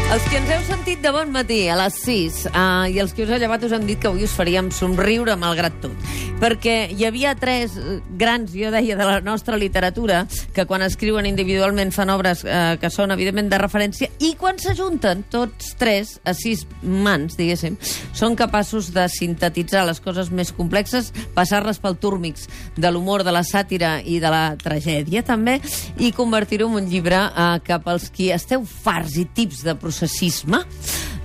Els que ens heu sentit de bon matí a les 6 i els que us heu llevat us hem dit que avui us faríem somriure malgrat tot. Perquè hi havia tres grans, jo deia, de la nostra literatura que quan escriuen individualment fan obres que són evidentment de referència i quan s'ajunten tots tres a 6 mans, diguéssim, són capaços de sintetitzar les coses més complexes, passar-les pel túrmix de l'humor, de la sàtira i de la tragèdia també, i convertir-ho en un llibre que pels qui esteu farts i tips de processisme,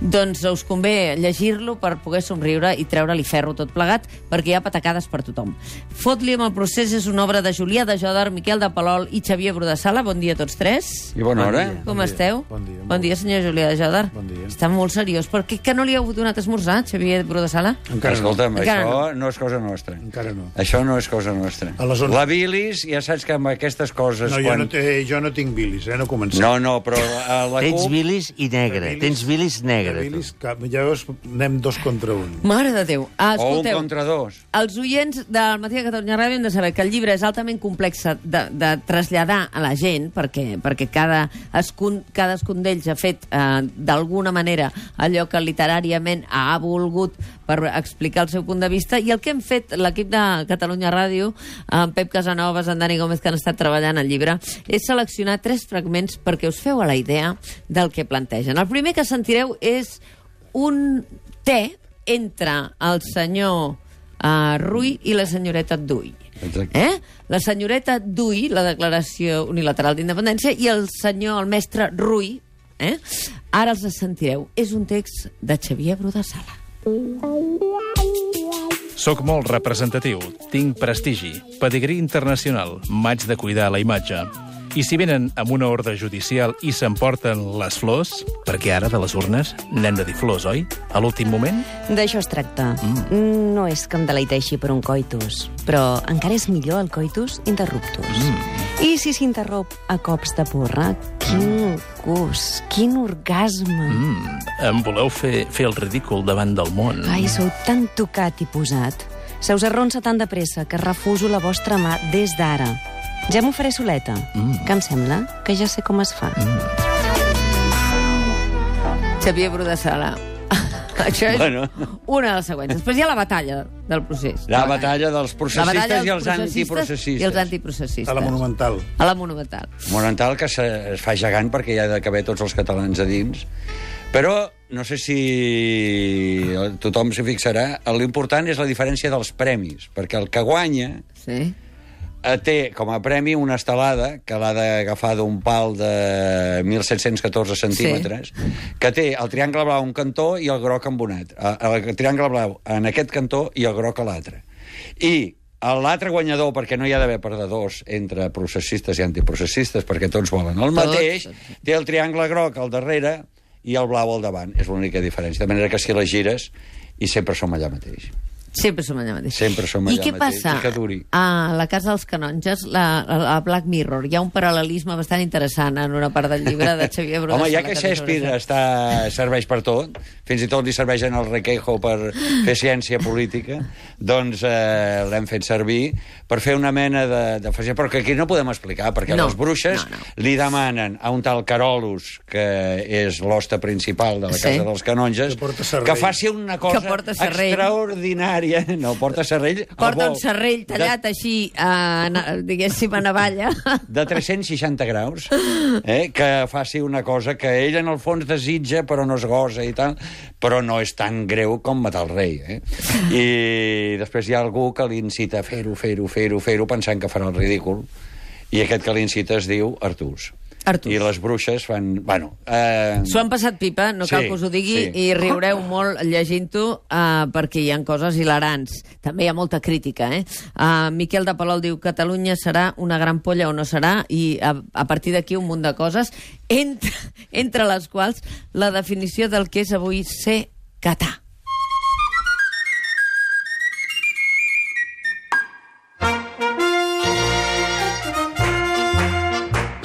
doncs us convé llegir-lo per poder somriure i treure-li ferro tot plegat, perquè hi ha patacades per tothom. Fot-li amb el procés és una obra de Julià de Jòdar, Miquel de Palol i Xavier Brodessala. Bon dia a tots tres. I bona hora. Com esteu? Bon dia. Bon dia, senyor Julià de Jòdar. Bon dia. Està molt seriós. Per què que no li heu donat esmorzar, Xavier Brodessala? Encara no. Escolta'm, Encara això no és cosa nostra. Encara no. Això no és cosa nostra. A les 11. La bilis, ja saps que amb aquestes coses... No, jo no tinc bilis, no comencem. No, però a la Tens CUP... bilis i negre. Tens bilis negre. Bilis, ja veus, anem 2 contra 1. Mare de Déu. O un Escolteu, contra 2. els oients del Matí de Catalunya Ràdio hem de saber que el llibre és altament complex de traslladar a la gent, perquè cadascun d'ells ha fet d'alguna manera allò que literàriament ha volgut per explicar el seu punt de vista, i el que hem fet l'equip de Catalunya Ràdio, en Pep Casanovas, en Dani Gómez, que han estat treballant al llibre, és seleccionar 3 fragments perquè us feu a la idea del que plantegen. El primer que sentireu és un té entre el senyor Rull i la senyoreta Duy. La senyoreta Duy, la declaració unilateral d'independència, i el mestre Rull, ara els sentireu. És un text de Xavier Brodessala. Soc molt representatiu, tinc prestigi, pedigrí internacional, m'haig de cuidar la imatge. I si venen amb una ordre judicial i s'emporten les flors, perquè ara de les urnes n'hem de dir flors, oi? A l'últim moment? D'això es tracta. No és que em deleiteixi per un coitus, però encara és millor el coitus interruptus. I si s'interromp a cops de porra, quin gust, quin orgasme. Em voleu fer el ridícul davant del món? Ai, sou tan tocat i posat. Se us arronsa tan de pressa que refuso la vostra mà des d'ara. Ja m'ho faré soleta, que em sembla que ja sé com es fa. Xavier Brodessala. Això és una de les següents. Després hi ha la batalla del procés. La batalla dels processistes i els antiprocessistes. I els antiprocessistes. A la Monumental. A la Monumental. Monumental, que es fa gegant perquè hi ha de caber tots els catalans a dins. Però no sé si tothom s'hi fixarà, l'important és la diferència dels premis, perquè el que guanya... Sí. Té com a premi una estelada que l'ha d'agafar d'un pal de 1.714 centímetres, que té el triangle blau a un cantó i el groc embonat. El triangle blau en aquest cantó i el groc a l'altre. I l'altre guanyador, perquè no hi ha d'haver perdedors entre processistes i antiprocessistes, perquè tots volen el mateix, té el triangle groc al darrere i el blau al davant. És l'única diferència. De manera que si les gires, i sempre som allà mateix. Sempre som allà mateix. Sempre som allà mateix. I què passa? I que duri. A la Casa dels Canonges, a Black Mirror, hi ha un paral·lelisme bastant interessant en una part del llibre de Xavier Brodessala. Home, ja que Shakespeare serveix per tot, fins i tot li serveixen el Requeijo per fer ciència política, doncs l'hem fet servir per fer una mena de fascia, però que aquí no podem explicar, perquè les bruixes li demanen a un tal Carolus, que és l'hoste principal de la Casa dels Canonges, que faci una cosa extraordinària. No, porta serrell... Porta un serrell tallat així, diguéssim, a navalla. De 360 graus, que faci una cosa que ell en el fons desitja, però no es gosa i tal, però no és tan greu com matar el rei. I després hi ha algú que l'incita a fer-ho, pensant que farà el ridícul, i aquest que l'incita es diu Artús. I les bruixes fan... S'ho han passat pipa, no cal que us ho digui, i riureu molt llegint-ho, perquè hi ha coses hilarants. També hi ha molta crítica, Miquel de Palol diu: Catalunya serà una gran polla o no serà, i a partir d'aquí un munt de coses, entre les quals la definició del que és avui ser catà.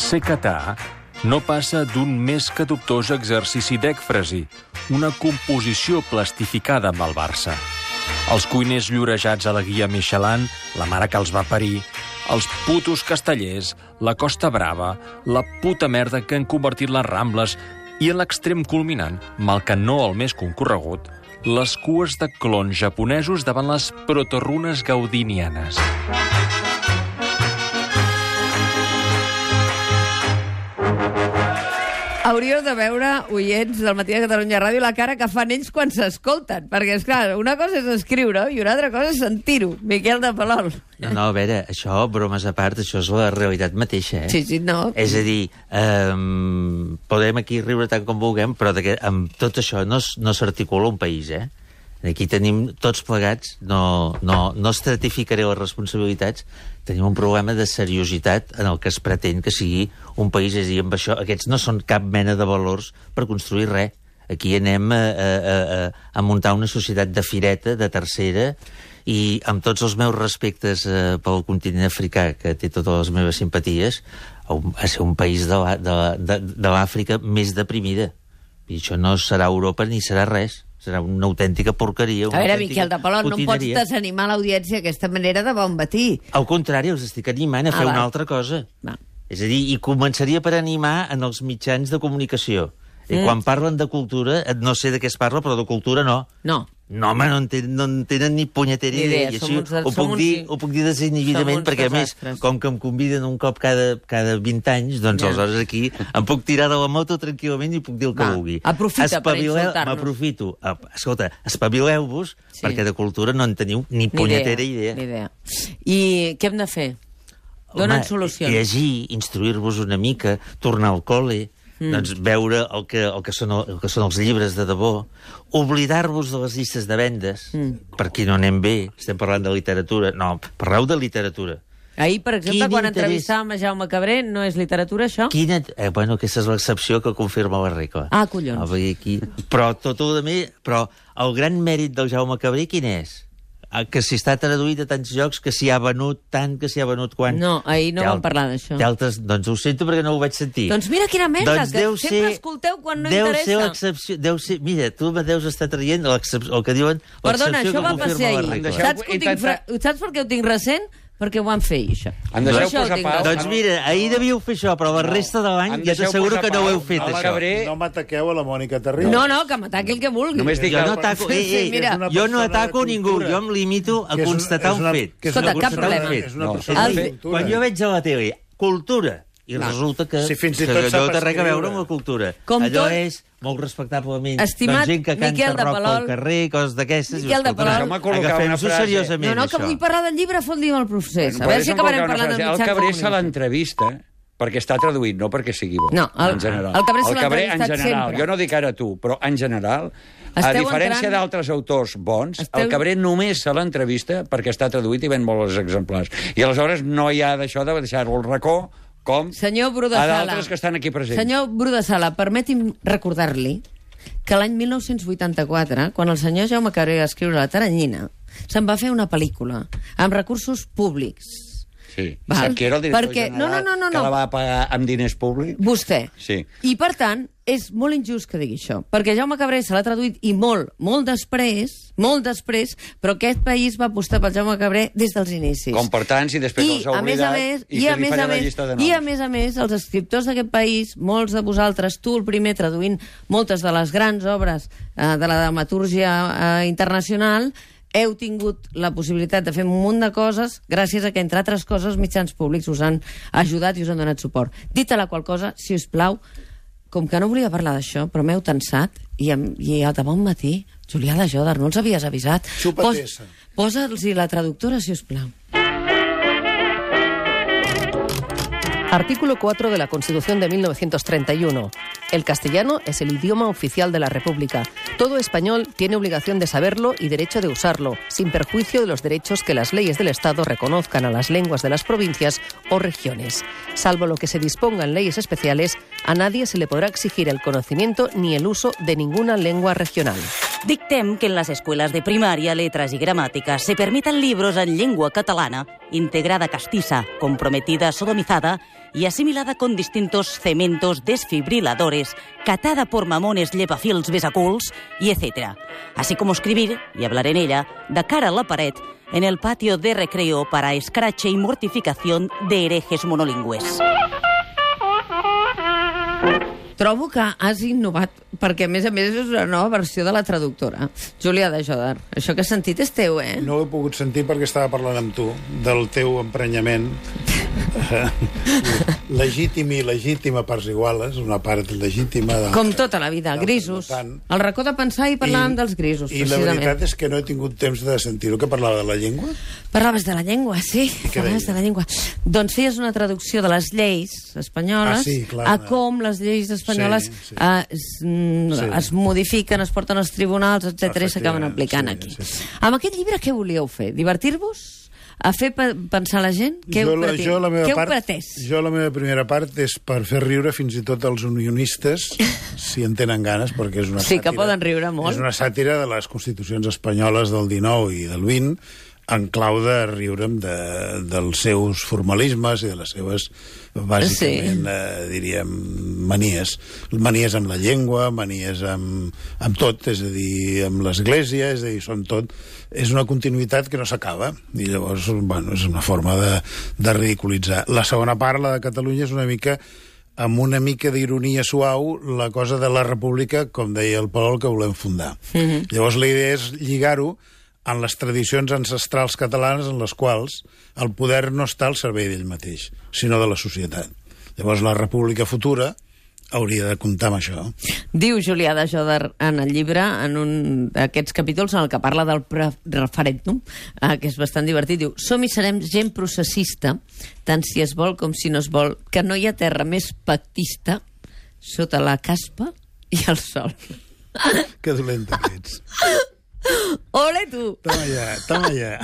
Ser catà no passa d'un més que dubtós exercici d'ècfrasi, una composició plastificada amb el Barça. Els cuiners llorejats a la guia Michelin, la mare que els va parir, els putos castellers, la Costa Brava, la puta merda que han convertit les Rambles I en l'extrem culminant, mal que no el més concorregut, les cues de clons japonesos davant les protorunes gaudinianes. Hauríeu de veure, oients del Matí de Catalunya Ràdio, la cara que fan ells quan s'escolten. Perquè, esclar, una cosa és escriure i una altra cosa és sentir-ho. Miquel de Palol. No, a veure, això, bromes a part, això és la realitat mateixa, eh? Sí, no. És a dir, podem aquí riure tant com vulguem, però amb tot això no s'articula un país, eh? Aquí tenim tots plegats, no estratificaré les responsabilitats, tenim un problema de seriositat en el que es pretén que sigui un país, és a dir, amb això, aquests no són cap mena de valors per construir res. Aquí anem a muntar una societat de fireta, de tercera, i amb tots els meus respectes pel continent africà, que té totes les meves simpaties, a ser un país de l'Àfrica més deprimida. I això no serà Europa ni serà res. Serà una autèntica porqueria. A veure, Miquel de Palol, no pots desanimar l'audiència d'aquesta manera de bon matí. Al contrari, us estic animant a fer una altra cosa. Va. És a dir, i començaria per animar en els mitjans de comunicació. I quan parlen de cultura, no sé de què es parla, però de cultura no. No. No, home, no en tenen ni punyetera idea. I així ho puc dir desinhibidament, perquè a més, com que em conviden un cop cada 20 anys, doncs aleshores aquí em puc tirar de la moto tranquil·lament i puc dir el que vulgui. Aprofita per insultar-nos. M'aprofito. Escolta, espavileu-vos, perquè de cultura no en teniu ni punyetera idea. I què hem de fer? Donen solucions. Llegir, instruir-vos una mica, tornar al col·le, doncs veure el que són els llibres de debò, oblidar-vos de les llistes de vendes, per qui no anem bé, estem parlant de literatura, no, parleu de literatura. Ahir, per exemple, quan entrevistàvem a Jaume Cabré, no és literatura, això? Bueno, aquesta és l'excepció que confirma la regla. Ah, collons. Però però el gran mèrit del Jaume Cabré, quin és? Que si està traduït a tants llocs, que s'hi ha venut tant, que s'hi ha venut quan... No, ahir no vam parlar d'això. Doncs ho sento perquè no ho vaig sentir. Doncs mira quina merda, que sempre escolteu quan no interessa. Mira, tu me deus estar traient el que diuen Perdona, l'excepció que confirma la regla. Saps per què ho tinc recent? Perquè ho van fer, això. Doncs mira, ahir devíeu fer això, però la resta de l'any ja t'asseguro que no ho heu fet, això. No m'ataqueu a la Mònica Terribas. No, que m'ataqui el que vulgui. Jo no ataco ningú, jo em limito a constatar un fet. Escolta, cap problema. Quan jo veig a la tele cultura, i resulta que allò té res a veure amb la cultura. Allò és molt respectablement gent que canta rock pel carrer, coses d'aquestes. Miquel de Palol, agafem-ho seriosament, això. Que vull parlar del llibre, fot-li el procés. A veure si acabarem parlant del mitjà. El Cabré se l'entrevista perquè està traduït, no perquè sigui bo. No, el Cabré se l'ha entrevistat sempre. Jo no dic ara tu, però en general, a diferència d'altres autors bons, el Cabré només se l'entrevista perquè està traduït i ven molts exemplars. I aleshores no hi ha d'això de deixar-lo al racó com a d'altres que estan aquí presents. Senyor Bru de Sala, permeti'm recordar-li que l'any 1984, quan el senyor Jaume Cabré va escriure La Teranyina, se'n va fer una pel·lícula amb recursos públics. Sí. Sap qui era el director general que la va pagar amb diners públics? Vostè. Sí. I, per tant, és molt injust que digui això, perquè Jaume Cabré se l'ha traduït i molt després, però aquest país va apostar pel Jaume Cabré des dels inicis. Com per tants, i després els ha oblidat, i se li farà la llista de noms. I, a més, els escriptors d'aquest país, molts de vosaltres, tu el primer, traduint moltes de les grans obres de la dramatúrgia internacional, heu tingut la possibilitat de fer un munt de coses gràcies a que, entre altres coses, mitjans públics us han ajudat i us han donat suport. Dit a la qual cosa, si us plau, com que no volia parlar d'això, però m'heu tensat, i de bon matí, Julià de Jòdar, no els havies avisat. Posa'ls-hi la traductora, si us plau. Artículo 4 de la Constitución de 1931. El castellano es el idioma oficial de la República. Todo español tiene obligación de saberlo y derecho de usarlo, sin perjuicio de los derechos que las leyes del Estado reconozcan a las lenguas de las provincias o regiones. Salvo lo que se disponga en leyes especiales, a nadie se le podrá exigir el conocimiento ni el uso de ninguna lengua regional. Dictem que en las escuelas de primaria, letras y gramática se permitan libros en lengua catalana, integrada castiza, comprometida sodomizada y asimilada con distintos cementos desfibriladores, catada por mamones llevafils besaculs y etc. Así como escribir, y hablar en ella, de cara a la pared, en el patio de recreo para escrache y mortificación de herejes monolingües. Trobo que has innovat, perquè a més és una nova versió de la traductora. Júlia de Jodar, això que has sentit és teu, eh? No ho he pogut sentir perquè estava parlant amb tu del teu emprenyament. Legítim i il·legítim a parts iguales, una part legítima... Com tota la vida, grisos. El racó de pensar i parlàvem dels grisos, I la veritat és que no he tingut temps de sentir-ho. Que parlava de la llengua? Parlaves de la llengua, sí. Parlaves de la llengua. Doncs feies una traducció de les lleis espanyoles a com les lleis espanyoles es modifiquen, es porten als tribunals, etc i s'acaben aplicant aquí. Amb aquest llibre què volíeu fer? Divertir-vos? A fer pensar la gent? Què heu pretès? Jo la meva primera part és per fer riure fins i tot els unionistes, si en tenen ganes, perquè és una sàtira. Sí, que poden riure molt. És una sàtira de les constitucions espanyoles del 19 i del 20, en clau de riure'm dels seus formalismes i de les seves, bàsicament, diríem, manies. Manies amb la llengua, manies amb tot, és a dir, amb l'Església, és a dir, són tot... És una continuïtat que no s'acaba, i llavors, bueno, és una forma de ridiculitzar. La segona part, la de Catalunya, és una mica amb una mica d'ironia suau, la cosa de la república, com deia el Palol, que volem fundar. Llavors la idea és lligar-ho en les tradicions ancestrals catalanes en les quals el poder no està al servei d'ell mateix, sinó de la societat. Llavors la república futura hauria de comptar amb això. Diu Julià de Jodar en el llibre, en un d'aquests capítols en el que parla del referèndum, que és bastant divertit, diu: som i serem gent processista, tant si es vol com si no es vol, que no hi ha terra més pactista sota la caspa i el sol. Que dolenta que ets. Ole, tu! Toma ja.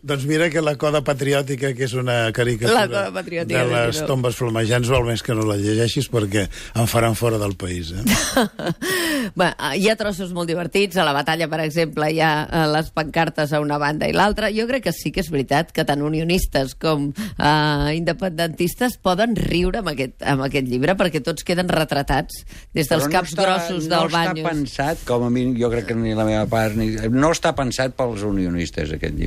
Doncs mira que la Coda Patriòtica, que és una caricatura de les tombes flamejants, val més que no la llegeixis perquè em faran fora del país. Bé, hi ha trossos molt divertits. A la batalla, per exemple, hi ha les pancartes a una banda i l'altra. Jo crec que sí que és veritat que tant unionistes com independentistes poden riure amb aquest llibre, perquè tots queden retratats des dels caps grossos del Baños. No està pensat, com a mi, jo crec que ni la meva part, no està pensat pels unionistes, aquest llibre.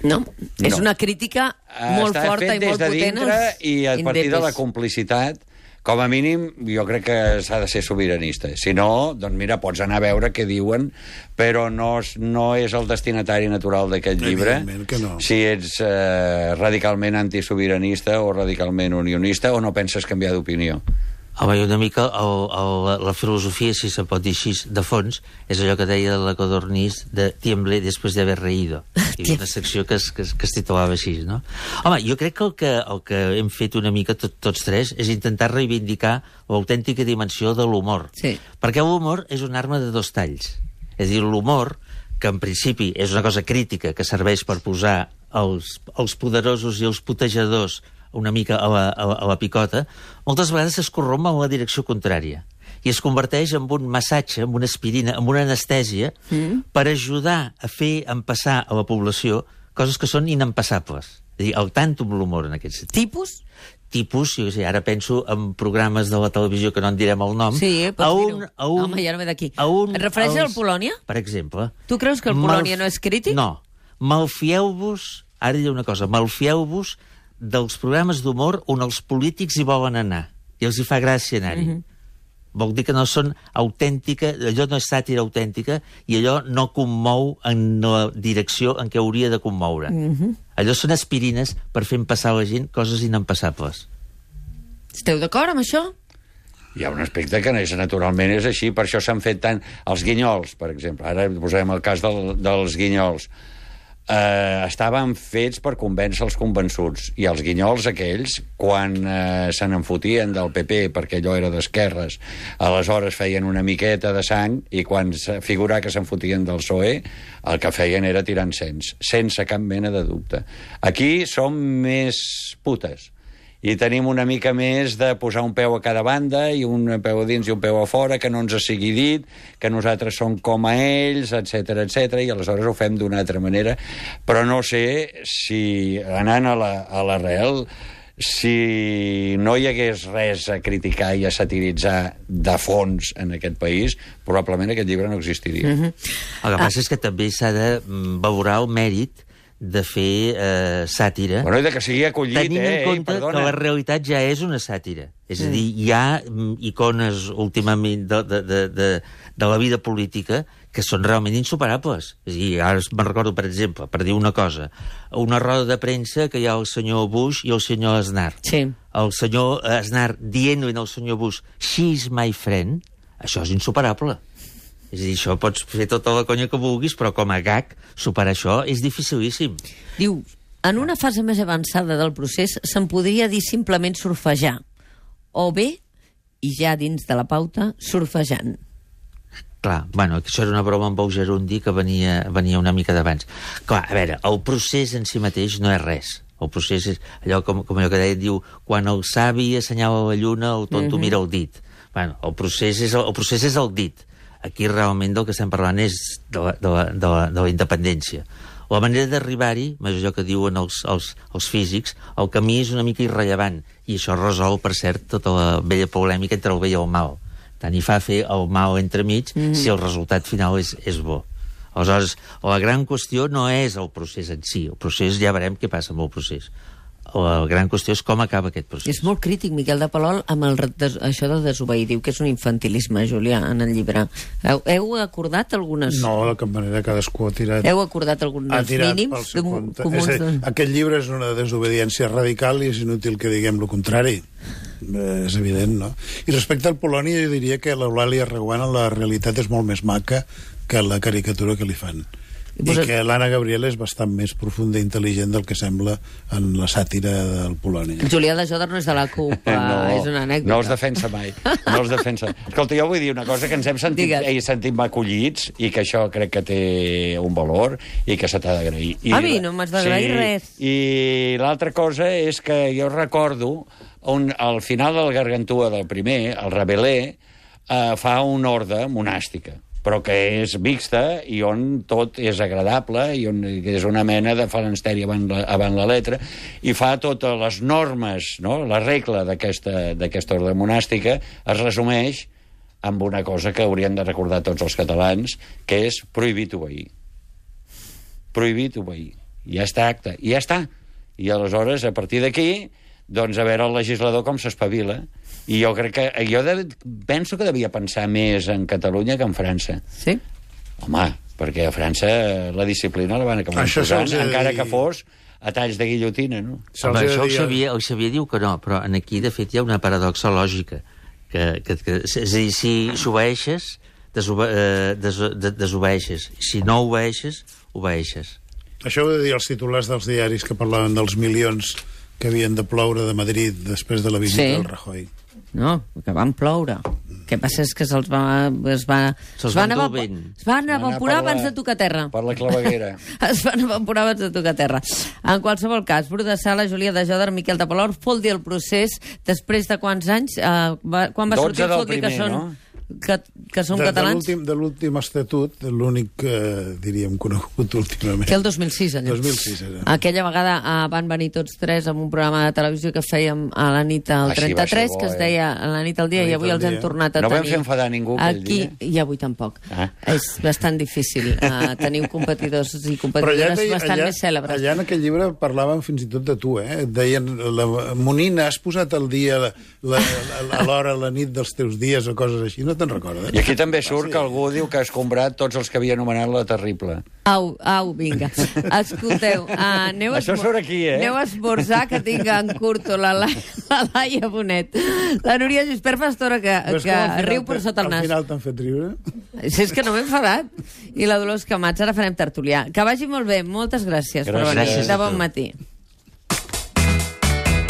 No, és una crítica molt forta i molt potent. Està fet des de dintre i a partir de la complicitat. Com a mínim, jo crec que s'ha de ser sobiranista. Si no, doncs mira, pots anar a veure què diuen, però no és el destinatari natural d'aquest llibre. No. Si ets radicalment antisobiranista o radicalment unionista o no penses canviar d'opinió. Home, una mica la filosofia, si se pot dir així, de fons, és allò que deia la Codorniz de tiemble després d'haver reído. I una secció que es titulava així, no? Home, jo crec que el que hem fet una mica tots tres és intentar reivindicar l'autèntica dimensió de l'humor. Sí. Perquè l'humor és una arma de dos talls. És a dir, l'humor, que en principi és una cosa crítica que serveix per posar els poderosos i els putejadors una mica a la picota, moltes vegades es corromp en la direcció contrària i es converteix en un massatge, en una aspirina, en una anestèsia per ajudar a fer empassar a la població coses que són inempassables. És a dir, el tanto amb l'humor en aquest sentit. Tipus, jo sé, ara penso en programes de la televisió que no en direm el nom. Sí, pots dir-ho. Home, ja no ve d'aquí. Et refereixes al Polònia? Per exemple. Tu creus que el Polònia no és crític? No. Malfieu-vos, ara hi ha una cosa, malfieu-vos dels programes d'humor on els polítics hi volen anar i els hi fa gràcia anar-hi. Vol dir que no són autèntica, allò no és sàtira autèntica i allò no commou en la direcció en què hauria de commoure. Allò són aspirines per fer passar a la gent coses inempassables. Esteu d'acord amb això? Hi ha un aspecte que naturalment és així, per això s'han fet tant... Els guinyols, per exemple, ara posem el cas dels guinyols. Estaven fets per convèncer els convençuts, i els guinyols aquells, quan se n'enfotien del PP perquè allò era d'esquerres, aleshores feien una miqueta de sang, i quan figurà que s'enfotien del PSOE, el que feien era tirar encens, sense cap mena de dubte. Aquí som més putes i tenim una mica més de posar un peu a cada banda, i un peu a dins i un peu a fora, que no ens sigui dit, que nosaltres som com a ells, etc etc, i aleshores ho fem d'una altra manera. Però no sé si, anant a l'arrel, si no hi hagués res a criticar i a satiritzar de fons en aquest país, probablement aquest llibre no existiria. El que passa és que també s'ha de valorar el mèrit de fer sàtira. Bueno, i de que sigui acollit, tenint en compte perdona. que la realitat ja és una sàtira. És a dir, hi ha icones últimament de la vida política que són realment insuperables. És a dir, ara me'n recordo, per exemple, per dir una cosa, una roda de premsa que hi ha el senyor Bush i el senyor Aznar. Sí. El senyor Aznar dient-li al senyor Bush, "She's my friend", això és insuperable. És a dir, això pots fer tota la conya que vulguis, però com a gag, superar això és dificilíssim. Diu, en una fase més avançada del procés se'n podria dir simplement surfejar. O bé, i ja dins de la pauta, surfejant. Clar, bueno, això era una broma amb el Gerundi que venia una mica d'abans. Clar, a veure, el procés en si mateix no és res. El procés és allò, com allò que deia, diu, quan el savi assenyala la lluna, el tonto mira el dit. Bueno, el procés és el dit. Aquí realment del que estem parlant és de la independència. La manera d'arribar-hi, és allò que diuen els físics, el camí és una mica irrellevant, i això resol, per cert, tota la vella polèmica entre el bé i el mal. Tant hi fa fer el mal entremig si el resultat final és bo. Aleshores, la gran qüestió no és el procés en si. El procés, ja veurem què passa amb el procés. La gran qüestió és com acaba aquest procés. És molt crític, Miquel de Palol, amb això de desobeir. Diu que és un infantilisme, Julià, en el llibre. Heu acordat algunes... No, de cap manera, cadascú ha tirat... Heu acordat alguns mínims? Aquest llibre és una desobediència radical i és inútil que diguem el contrari. És evident, no? I respecte al Polònia, jo diria que l'Eulàlia Reguant, la realitat és molt més maca que la caricatura que li fan. I que l'Anna Gabriel és bastant més profunda i intel·ligent del que sembla en la sàtira del Polònia. Julià de Jòdar no és de la CUP, és una anècdota. No els defensa mai. No els defensa. Escolta, jo vull dir una cosa, que ens hem sentit acollits i que això crec que té un valor i que se t'ha d'agrair. A mi no m'has d'agrair res. I l'altra cosa és que jo recordo al final del Gargantúa del primer, el Rabelais fa una orde monàstica, però que és mixta i on tot és agradable i on és una mena de falansteri avant la letra, i fa totes les normes, no? La regla d'aquesta ordre monàstica es resumeix amb una cosa que haurien de recordar tots els catalans, que és prohibit obeir. Prohibit obeir. I ja està acte. I ja està. I aleshores, a partir d'aquí, doncs a veure el legislador com s'espavila. I jo crec que... penso que devia pensar més en Catalunya que en França. Sí? Home, perquè a França la disciplina la van acabar posant, encara que fos a talls de guillotina, no? Home, això el Xavier diu que no, però aquí, de fet, hi ha una paradoxa lògica. És a dir, si s'obeeixes, desobeeixes. Si no obeeixes, obeeixes. Això ho de dir els titulars dels diaris que parlaven dels milions que havien de ploure de Madrid després de la visita del Rajoy. No, que van ploure. El que passa és que es van evaporar abans de tocar terra. Per la claveguera. Es van evaporar abans de tocar terra. En qualsevol cas, Bru de Sala, Julià de Jòdar, Miquel de Palol, Fol dir el procés, després de quants anys? Quan va sortir Fol dir que són... que són catalans? De l'últim estatut, l'únic, diríem, conegut últimament. Que el 2006, allò. 2006 era. Aquella vegada van venir tots tres amb un programa de televisió que fèiem a la nit al 33, que es deia a la nit al dia, i avui els hem tornat a tenir. No vam fer enfadar ningú aquell dia. I avui tampoc. És bastant difícil. Teniu competidors i competidores bastant més cèlebres. Allà en aquell llibre parlaven fins i tot de tu, eh? Et deien, Monina, has posat al dia a l'hora, a la nit dels teus dies o coses així, no te'n recordes? I aquí també surt que algú diu que ha escombrat tots els que havia anomenat la terrible. Au, vinga. Escolteu, això surt aquí, aneu a esmorzar, que tinc en curto la Laia Bonet. La Núria Gispert fa estona que riu per sota el nas. Al final t'han fet riure? Si és que no m'he enfadat. I la Dolors Camats, ara farem tertulià. Que vagi molt bé, moltes gràcies per venir. De bon matí.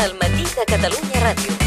El matí de Catalunya Ràdio.